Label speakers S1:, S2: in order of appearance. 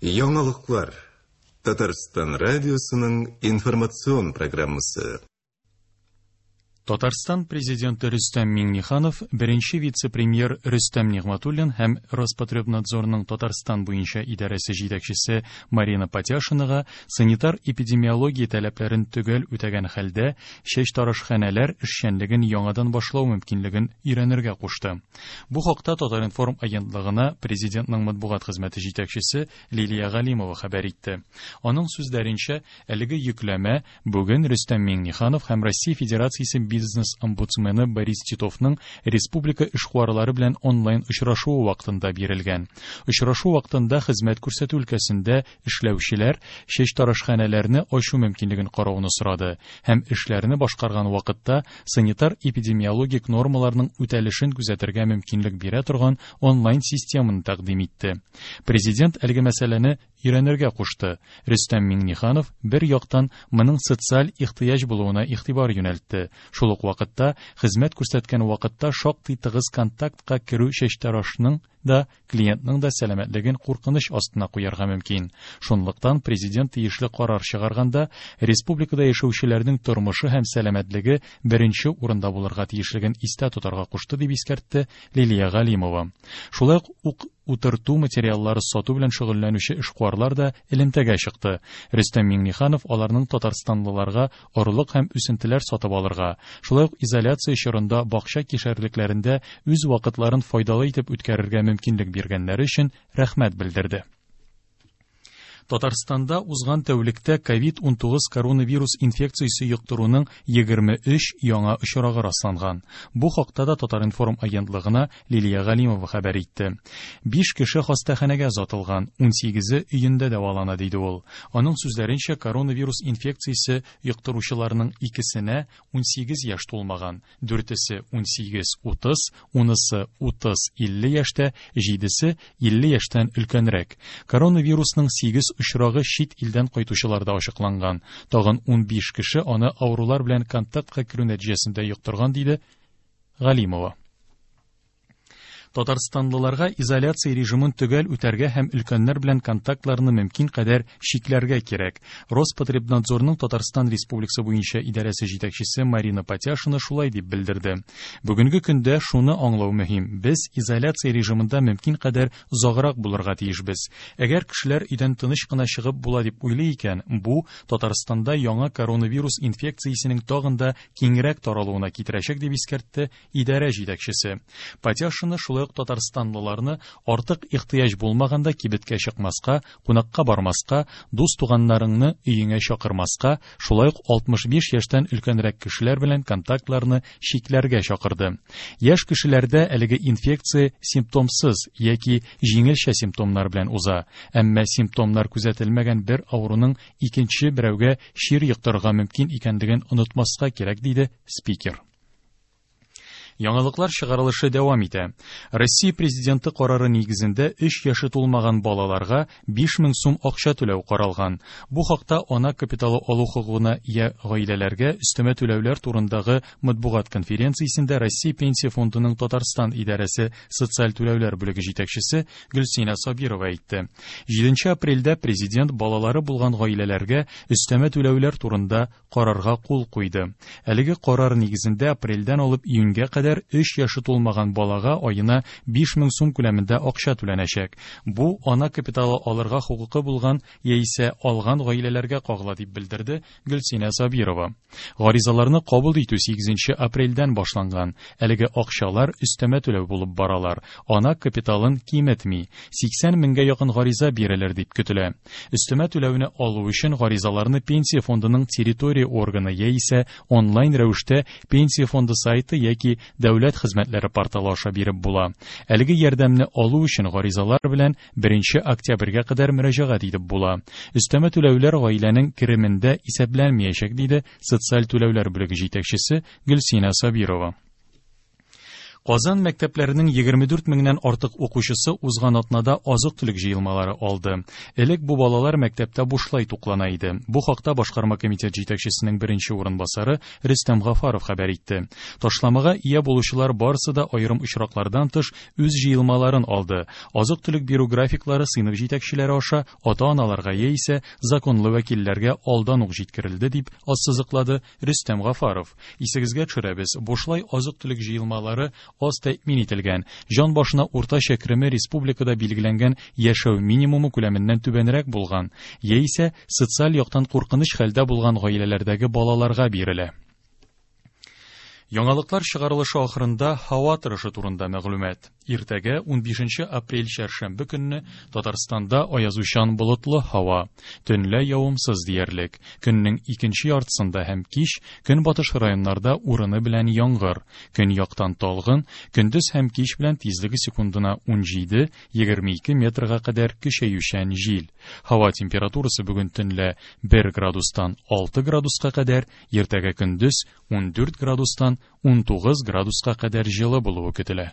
S1: Яңалыклар. Татарстан радиосының информацион программасы.
S2: Татарстан Президенты Рөстәм Миңнеханов, беренче вице-премьер Рөстәм Нигъмәтуллин һәм Роспотребнадзорның Татарстан буенча идарәсе җитәкчесе Марина Патяшинага санитар-эпидемиология таләпләрен төгәл үтәгән хәлдә чәчтарашханәләр эшчәнлеген яңадан башлау мөмкинлеген өйрәнергә кушты. Бу хакта Татар-информ агентлыгына Президентның матбугат хезмәте җитәкчесе Лилия Галимова хәбәр итте. Аның сүзләренчә, әлеге йөкләмә бүген Рөстәм Миңнеханов һәм Россия Федерациясе бизнес-омбудсмены Борис Титовның республика эшкуарлары белән онлайн очрашуы вакытында бирелгән. Очрашу вакытында хезмәт күрсәтү өлкәсендә эшләүчеләр чәчтарашханәләрне ачу мөмкинлеген карауны сорады һәм эшләрне башкарган вакытта санитар-эпидемиологик нормаларның үтәлешен күзәтергә мөмкинлек бирә торган онлайн-системаны тәкъдим итте. Президент әлеге мәсьәләне өйрәнергә кушты. Рөстәм Миңнеханов бер яктан моның социаль ихтыяҗ булуына игътибар юнәлтте. Шул ук вакытта хезмәт күрсәткән вакытта шактый тыгыз контактка керү чәчтарашның да, клиентның да сәламәтлеген куркыныч астына куярга мөмкин. Шунлыктан президент тиешле карар чыгарганда республикада яшәүчеләрнең тормышы һәм сәламәтлеге беренче урында булырга тиешлеген истә тотарга кушты, дип искәртте Лилия Галимова. Шулай ук утырту материаллары сату белән шөгыльләнүче эшкуарлар да элемтәгә чыкты. Рөстәм Миңнеханов аларның татарстанлыларга орлык һәм үсентеләр сатып алырга, шулай ук изоляция чорында бакча кишәрлекләрендә үз вакытларын файдалы итеп үткәрергә мөмкинлек биргәннәре өчен рәхмәт белдерде. Татарстанда узган тәүлектә ковид-19 коронавирус инфекциясе йоктыруның 23 яңа очрагы расланган. Бу хакта да Татар-информ агентлыгына Лилия Галимова хәбәр итте. 5 кеше хастаханәгә озатылган, 18-е өендә дәвалана, диде ул. Аның сүзләренчә, коронавирус инфекциясе йоктыручыларның икесенә 18 яшь тулмаган, дүртесе 18-30, унысы 30-50 яшьтә, җидесе 50 яшьтән өлкәнрәк. Коронавирусның 8 очрагы чит илдән кайтучыларда ачыкланган. Тагын 15 кеше аны авырулар белән контактка керү нәтиҗәсендә йоктырган, диде Галимова. Татарстанлыларга изоляция режимын төгәл үтәргә һәм өлкәннәр белән контактларны мөмкин кадәр чикләргә кирәк. Роспотребнадзорның Татарстан Республикасы буенча идарәсе җитәкчесе Марина Патяшина шулай дип белдерде. Бүгенге көндә шуны аңлау мөһим: без изоляция режимында мөмкин кадәр озаграк булырга тиешбез. Әгәр кешеләр өйдән тыныч кына чыгып була дип уйлый икән, бу Татарстанда яңа коронавирус инфекциясенең тагын да киңрәк таралуына китерәчәк, дип искәртте идарә җитәкчесе. Патяшина шулай ук татарстанлыларны артык ихтыяҗ булмаганда кибеткә чыкмаска, кунакка бармаска, дус-туганнарыңны өеңә чакырмаска, шулай ук 65 яшьтән өлкәнрәк кешеләр белән контактларны чикләргә чакырды. Яшь кешеләрдә әлеге инфекция симптомсыз яки җиңелчә симптомнар белән уза, әмма симптомнар күзәтелмәгән бер авыруның икенче берәүгә чир йоктырырга мөмкин икәнлеген онытмаска кирәк, диде спикер. Яңалыклар чыгарылышы дәвам итә. Россия Президенты карары нигезендә 3 яше тулмаган балаларга 5000 сум акча түләү каралган. Бу хакта ана капиталы алу хокукына ия гаиләләргә өстәмә түләүләр турындагы матбугат конференциясендә Россия Пенсия фондының Татарстан идарәсе социаль түләүләр бүлеге җитәкчесе Гөлсинә Сабирова әйтте. 7 апрельдә президент балалары булган гаиләләргә өстәмә түләүләр турында карарга кул куйды. Әлеге карар нигезендә апрельдән алып июньгә кадәр 3 яше тулмаган балага аена 5000 сум күләмендә акча түләнәчәк. Бу ана капиталы алырга хокукы булган яисә алган гаиләләргә кагыла, дип белдерде Гөлсинә Сабирова. Гаризаларны кабул итү 8 апрельдән башланган. Әлеге акчалар өстәмә түләү булып баралар. Ана капиталын киметми. 80 меңгә якын гариза бирелер дип көтелә. Өстәмә түләүне алу өчен гаризаларны Пенсия фондының территория органы яисә онлайн рәвештә Пенсия фонды сайты яки дәүләт хезмәтләре порталы аша биреп була. Әлеге ярдәмне алу өчен гаризалар белән 1 октябрьгә кадәр мөрәҗәгать итеп була. Өстәмә түләүләр гаиләнең керемендә исәпләнмәячәк, диде социаль түләүләр бүлеге җитәкчесе Гөлсинә Сабирова. Казан мәктәпләренең 24 меңнән артык укучысы узган атнада азык-төлек җыелмалары алды. Элек бу балалар мәктәптә бушлай туклана иде. Бу хакта башкарма комитет җитәкчесенең беренче урынбасары Рөстәм Гафаров хәбәр итте. Ташламага ия булучылар барысы да аерым очраклардан тыш үз җыелмаларын алды. Азык-төлек бирү графиклары сыйныф җитәкчеләре аша ата-аналарга яисә законлы вәкилләргә алдан ук җиткерелде, дип ассызыклады Рөстәм Гафаров. Исегезгә төшерәбез, бушлай азык-төлек җыелмалары аз тәэмин ителгән, җан башына уртача кереме республикада билгеләнгән яшәү минимумы күләменнән түбәнрәк булган, яисә социаль яктан куркыныч хәлдә булган гаиләләрдәге балаларга бирелә. Яңалыклар чыгарылышы ахырында һава торышы турында мәгълүмат. Иртәгә 15 апрель чәршәмбе көнне Татарстанда аязучан болытлы һава, төнлә явымсыз диярлек. Көннең икенче яртысында һәм кич көнбатыш районнарда урыны белән яңгыр, көньяктан талгын, көндез һәм кич белән тизлеге секундына 17-22 метрга кадәр көчәючән җил. Һава температурасы бүген төнлә 1 градустан 6 градуска кадәр, иртәгә көндез 14 градустан 19 градуска кадәр җылы булуы көтелә.